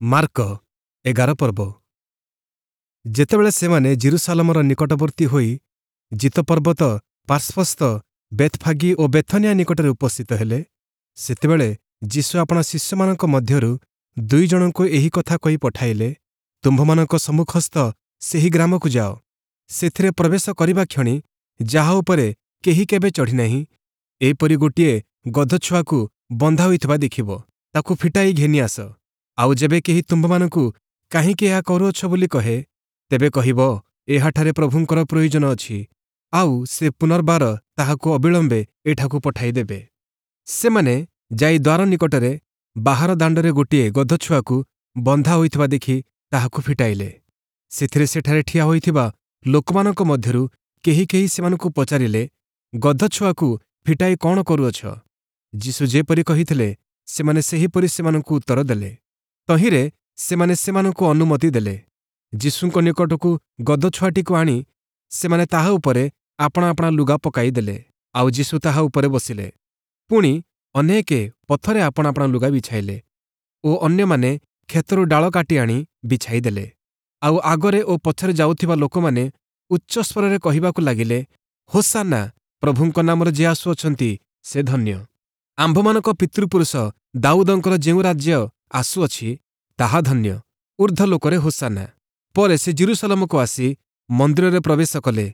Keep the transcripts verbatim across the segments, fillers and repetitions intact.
Mark ଏଗାର ପର୍ବ ଯେତେବେଳେ ସେମାନେ ଯିରୂଶାଲମର ନିକଟବର୍ତ୍ତୀ ହୋଇ ଜୀତପର୍ବତ ପାର୍ଶ୍ୱସ୍ଥ ବେଥ୍‌ଫାଗି ଓ ବେଥନିଆ ନିକଟରେ ଉପସ୍ଥିତ ହେଲେ, ସେତେବେଳେ ଯୀଶୁ ଆପଣା ଶିଷ୍ୟମାନଙ୍କ ମଧ୍ୟରୁ ଦୁଇ ଜଣଙ୍କୁ ଏହି କଥା କହି ପଠାଇଲେ, ତୁମ୍ଭମାନଙ୍କ ସମ୍ମୁଖସ୍ଥ ସେହି ଗ୍ରାମକୁ ଯାଅ। ସେଥିରେ ପ୍ରବେଶ କରିବା କ୍ଷଣି ଯାହା ଉପରେ କେହି କେବେ ଚଢ଼ିନାହିଁ, ଏହିପରି ଗୋଟିଏ ଗଧଛୁଆକୁ ବନ୍ଧା ହୋଇଥିବା ଦେଖିବ, ତାକୁ ଫିଟାଇ ଘେନି ଆସ। ଆଉ ଯେବେ କେହି ତୁମ୍ଭମାନଙ୍କୁ କାହିଁକି ଏହା କରୁଅଛ ବୋଲି କହେ, ତେବେ କହିବ, ଏହାଠାରେ ପ୍ରଭୁଙ୍କର ପ୍ରୟୋଜନ ଅଛି, ଆଉ ସେ ପୁନର୍ବାର ତାହାକୁ ଅବିଳମ୍ବେ ଏଠାକୁ ପଠାଇଦେବେ। ସେମାନେ ଯାଇ ଦ୍ୱାର ନିକଟରେ ବାହାର ଦାଣ୍ଡରେ ଗୋଟିଏ ଗଧଛୁଆକୁ ବନ୍ଧା ହୋଇଥିବା ଦେଖି ତାହାକୁ ଫିଟାଇଲେ। ସେଥିରେ ସେଠାରେ ଠିଆ ହୋଇଥିବା ଲୋକମାନଙ୍କ ମଧ୍ୟରୁ କେହି କେହି ସେମାନଙ୍କୁ ପଚାରିଲେ, ଗଧଛୁଆକୁ ଫିଟାଇ କଅଣ କରୁଅଛ? ଯୀଶୁ ଯେପରି କହିଥିଲେ, ସେମାନେ ସେହିପରି ସେମାନଙ୍କୁ ଉତ୍ତର ଦେଲେ। ତହିଁରେ ସେମାନେ ସେମାନଙ୍କୁ ଅନୁମତି ଦେଲେ। ଯୀଶୁଙ୍କ ନିକଟକୁ ଗଧଛୁଆଟିକୁ ଆଣି ସେମାନେ ତାହା ଉପରେ ଆପଣା ଆପଣା ଲୁଗା ପକାଇଦେଲେ, ଆଉ ଯୀଶୁ ତାହା ଉପରେ ବସିଲେ। ପୁଣି ଅନେକେ ପଥରେ ଆପଣା ଆପଣା ଲୁଗା ବିଛାଇଲେ ଓ ଅନ୍ୟମାନେ କ୍ଷେତରୁ ଡାଳ କାଟି ଆଣି ବିଛାଇଦେଲେ। ଆଉ ଆଗରେ ଓ ପଛରେ ଯାଉଥିବା ଲୋକମାନେ ଉଚ୍ଚସ୍ୱରରେ କହିବାକୁ ଲାଗିଲେ, ହୋସାନ୍ନା, ପ୍ରଭୁଙ୍କ ନାମରେ ଯେ ଆସୁଅଛନ୍ତି ସେ ଧନ୍ୟ। ଆମ୍ଭମାନଙ୍କ ପିତୃପୁରୁଷ ଦାଉଦଙ୍କର ଯେଉଁ ରାଜ୍ୟ ଆସୁଅଛି ତାହା ଧନ୍ୟ, ଊର୍ଦ୍ଧ୍ୱଲୋକରେ ହୋସାନ୍ନା। ପରେ ସେ ଯିରୂଶାଲମକୁ ଆସି ମନ୍ଦିରରେ ପ୍ରବେଶ କଲେ।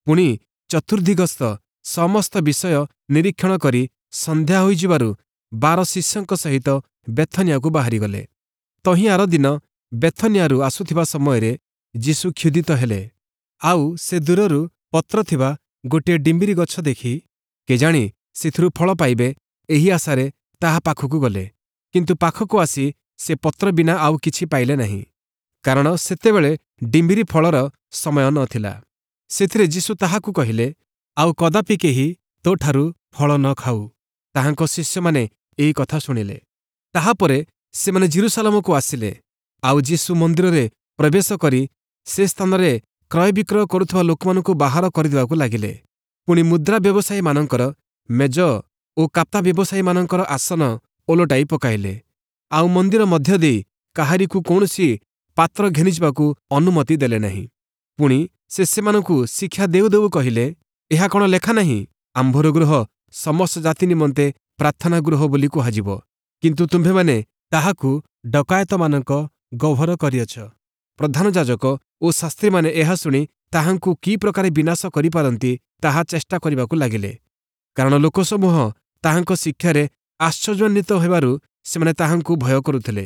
ପୁଣି ଚତୁର୍ଦ୍ଦିଗସ୍ଥ ସମସ୍ତ ବିଷୟ ନିରୀକ୍ଷଣ କରି ସନ୍ଧ୍ୟା ହୋଇଯିବାରୁ ବାର ଶିଷ୍ୟଙ୍କ ସହିତ ବେଥନିଆକୁ ବାହାରିଗଲେ। ତହିଁ ଆରଦିନ ବେଥନିଆରୁ ଆସୁଥିବା ସମୟରେ ଯୀଶୁ କ୍ଷୁଧିତ ହେଲେ। ଆଉ ସେ ଦୂରରୁ ପତ୍ର ଥିବା ଗୋଟିଏ ଡିମ୍ବିରି ଗଛ ଦେଖି କେଜାଣି ସେଥିରୁ ଫଳ ପାଇବେ ଏହି ଆଶାରେ ତାହା ପାଖକୁ ଗଲେ। କିନ୍ତୁ ପାଖକୁ ଆସି ସେ ପତ୍ର ବିନା ଆଉ କିଛି ପାଇଲେ ନାହିଁ, କାରଣ ସେତେବେଳେ ଡିମ୍ବିରି ଫଳର ସମୟ ନ ଥିଲା। ସେଥିରେ ଯୀଶୁ ତାହାକୁ କହିଲେ, ଆଉ କଦାପି କେହି ତୋଠାରୁ ଫଳ ନ ଖାଉ। ତାହାଙ୍କ ଶିଷ୍ୟମାନେ ଏହି କଥା ଶୁଣିଲେ। ତାହାପରେ ସେମାନେ ଯିରୂଶାଲମକୁ ଆସିଲେ। ଆଉ ଯୀଶୁ ମନ୍ଦିରରେ ପ୍ରବେଶ କରି ସେ ସ୍ଥାନରେ କ୍ରୟବିକ୍ରୟ କରୁଥିବା ଲୋକମାନଙ୍କୁ ବାହାର କରିଦେବାକୁ ଲାଗିଲେ। ପୁଣି ମୁଦ୍ରା ବ୍ୟବସାୟୀମାନଙ୍କର ମେଜ ଓ କାପ୍ତା ବ୍ୟବସାୟୀମାନଙ୍କର ଆସନ ଓଲଟାଇ ପକାଇଲେ। ଆଉ ମନ୍ଦିର ମଧ୍ୟ ଦେଇ କାହାରିକୁ କୌଣସି ପାତ୍ର ଘେନିଯିବାକୁ ଅନୁମତି ଦେଲେ ନାହିଁ। ପୁଣି ସେ ସେମାନଙ୍କୁ ଶିକ୍ଷା ଦେଉ ଦେଉ କହିଲେ, ଏହା କଣ ଲେଖା ନାହିଁ, ଆମ୍ଭର ଗୃହ ସମସ୍ତ ଜାତି ନିମନ୍ତେ ପ୍ରାର୍ଥନା ଗୃହ ବୋଲି କୁହାଯିବ, କିନ୍ତୁ ତୁମ୍ଭେମାନେ ତାହାକୁ ଡକାୟତମାନଙ୍କ ଗହ୍ୱର କରିଅଛ। ପ୍ରଧାନ ଯାଜକ ଓ ଶାସ୍ତ୍ରୀମାନେ ଏହା ଶୁଣି ତାହାଙ୍କୁ କି ପ୍ରକାରେ ବିନାଶ କରିପାରନ୍ତି ତାହା ଚେଷ୍ଟା କରିବାକୁ ଲାଗିଲେ। କାରଣ ଲୋକସମୂହ ତାହାଙ୍କ ଶିକ୍ଷାରେ ଆଶ୍ଚର୍ଯ୍ୟାନ୍ୱିତ ହେବାରୁ ସେମାନେ ତାହାଙ୍କୁ ଭୟ କରୁଥିଲେ।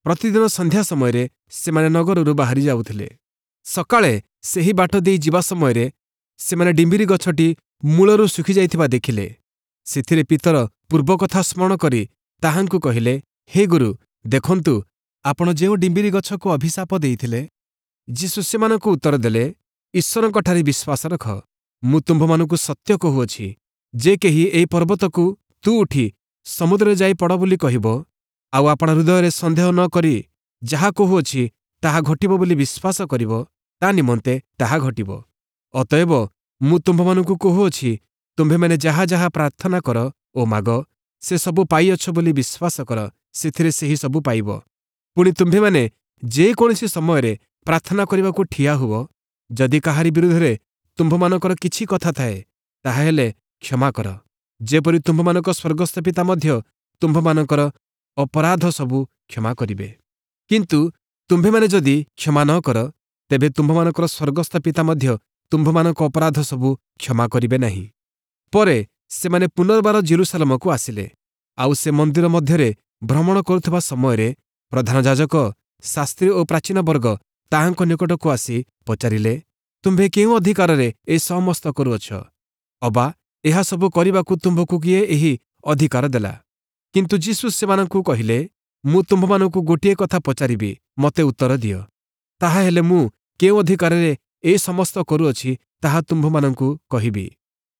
ପ୍ରତିଦିନ ସନ୍ଧ୍ୟା ସମୟରେ ସେମାନେ ନଗରରୁ ବାହାରି ଯାଉଥିଲେ। ସକାଳେ ସେହି ବାଟ ଦେଇ ଯିବା ସମୟରେ ସେମାନେ ଡିମ୍ବିରି ଗଛଟି ମୂଳରୁ ଶୁଖିଯାଇଥିବା ଦେଖିଲେ। ସେଥିରେ ପିତର ପୂର୍ବ କଥା ସ୍ମରଣ କରି ତାହାଙ୍କୁ କହିଲେ, ହେ ଗୁରୁ, ଦେଖନ୍ତୁ, ଆପଣ ଯେଉଁ ଡିମ୍ବିରି ଗଛକୁ ଅଭିଶାପ ଦେଇଥିଲେ। ଯୀଶୁ ସେମାନଙ୍କୁ ଉତ୍ତର ଦେଲେ, ଈଶ୍ୱରଙ୍କଠାରେ ବିଶ୍ୱାସ ରଖ। ମୁଁ ତୁମ୍ଭମାନଙ୍କୁ ସତ୍ୟ କହୁଅଛି, ଯେ କେହି ଏହି ପର୍ବତକୁ ତୁ ଉଠି ସମୁଦ୍ରରେ ଯାଇ ପଡ଼ ବୋଲି କହିବ, ଆଉ ଆପଣା ହୃଦୟରେ ସନ୍ଦେହ ନ କରି ଯାହା କହୁଅଛି ତାହା ଘଟିବ ବୋଲି ବିଶ୍ୱାସ କରିବ, ତା ନିମନ୍ତେ ତାହା ଘଟିବ। ଅତଏବ ମୁଁ ତୁମ୍ଭମାନଙ୍କୁ କହୁଅଛି, ତୁମ୍ଭେମାନେ ଯାହା ଯାହା ପ୍ରାର୍ଥନା କର ଓ ମାଗ, ସେ ସବୁ ପାଇଅଛ ବୋଲି ବିଶ୍ୱାସ କର, ସେଥିରେ ସେହି ସବୁ ପାଇବ। ପୁଣି ତୁମ୍ଭେମାନେ ଯେକୌଣସି ସମୟରେ ପ୍ରାର୍ଥନା କରିବାକୁ ଠିଆ ହୁଅ, ଯଦି କାହାରି ବିରୁଦ୍ଧରେ ତୁମ୍ଭମାନଙ୍କର କିଛି କଥା ଥାଏ, ତାହାହେଲେ କ୍ଷମା କର, ଯେପରି ତୁମ୍ଭମାନଙ୍କ ସ୍ୱର୍ଗସ୍ଥ ପିତା ମଧ୍ୟ ତୁମ୍ଭମାନଙ୍କର ଅପରାଧ ସବୁ କ୍ଷମା କରିବେ। କିନ୍ତୁ ତୁମ୍ଭେମାନେ ଯଦି କ୍ଷମା ନ କର, ତେବେ ତୁମ୍ଭମାନଙ୍କର ସ୍ୱର୍ଗସ୍ଥ ପିତା ମଧ୍ୟ ତୁମ୍ଭମାନଙ୍କ ଅପରାଧ ସବୁ କ୍ଷମା କରିବେ ନାହିଁ। ପରେ ସେମାନେ ପୁନର୍ବାର ଯିରୂଶାଲମକୁ ଆସିଲେ। ଆଉ ସେ ମନ୍ଦିର ମଧ୍ୟରେ ଭ୍ରମଣ କରୁଥିବା ସମୟରେ ପ୍ରଧାନ ଯାଜକ, ଶାସ୍ତ୍ରୀ ଓ ପ୍ରାଚୀନବର୍ଗ ତାହାଙ୍କ ନିକଟକୁ ଆସି ପଚାରିଲେ, ତୁମ୍ଭେ କେଉଁ ଅଧିକାରରେ ଏ ସମସ୍ତ କରୁଅଛ? ଅବା ଏହା ସବୁ କରିବାକୁ ତୁମ୍ଭକୁ କିଏ ଏହି ଅଧିକାର ଦେଲା? କିନ୍ତୁ ଯୀଶୁ ସେମାନଙ୍କୁ କହିଲେ, ମୁଁ ତୁମ୍ଭମାନଙ୍କୁ ଗୋଟିଏ କଥା ପଚାରିବି, ମୋତେ ଉତ୍ତର ଦିଅ। ତାହାହେଲେ ମୁଁ କେଉଁ ଅଧିକାରରେ ଏ ସମସ୍ତ କରୁଅଛି ତାହା ତୁମ୍ଭମାନଙ୍କୁ କହିବି।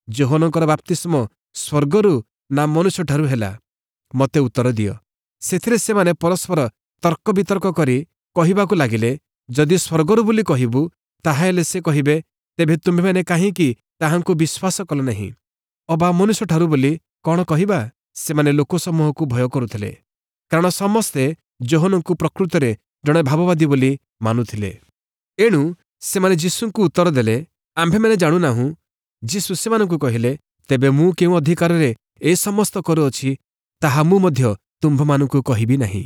ଯୋହନଙ୍କର ବାପ୍ତିସ୍ମ ସ୍ୱର୍ଗରୁ ନା ମନୁଷ୍ୟଠାରୁ ହେଲା? ମୋତେ ଉତ୍ତର ଦିଅ। ସେଥିରେ ସେମାନେ ପରସ୍ପର ତର୍କ ବିତର୍କ କରି କହିବାକୁ ଲାଗିଲେ, ଯଦି ସ୍ୱର୍ଗରୁ ବୋଲି କହିବୁ, ତାହାହେଲେ ସେ କହିବେ, ତେବେ ତୁମ୍ଭେମାନେ କାହିଁକି ତାହାଙ୍କୁ ବିଶ୍ୱାସ କଲ ନାହିଁ? ଅବା ମନୁଷ୍ୟଠାରୁ ବୋଲି କଣ କହିବା? ସେମାନେ ଲୋକସମୂହକୁ ଭୟ କରୁଥିଲେ, କାରଣ ସମସ୍ତେ ଯୋହନଙ୍କୁ ପ୍ରକୃତରେ ଜଣେ ଭାବବାଦୀ ବୋଲି ମାନୁଥିଲେ। ଏଣୁ ସେମାନେ ଯୀଶୁଙ୍କୁ ଉତ୍ତର ଦେଲେ, ଆମ୍ଭେମାନେ ଜାଣୁନାହୁଁ। ଯୀଶୁ ସେମାନଙ୍କୁ କହିଲେ, ତେବେ ମୁଁ କେଉଁ ଅଧିକାରରେ ଏ ସମସ୍ତ କରୁଅଛି, ତାହା ମୁଁ ମଧ୍ୟ ତୁମ୍ଭମାନଙ୍କୁ କହିବି ନାହିଁ।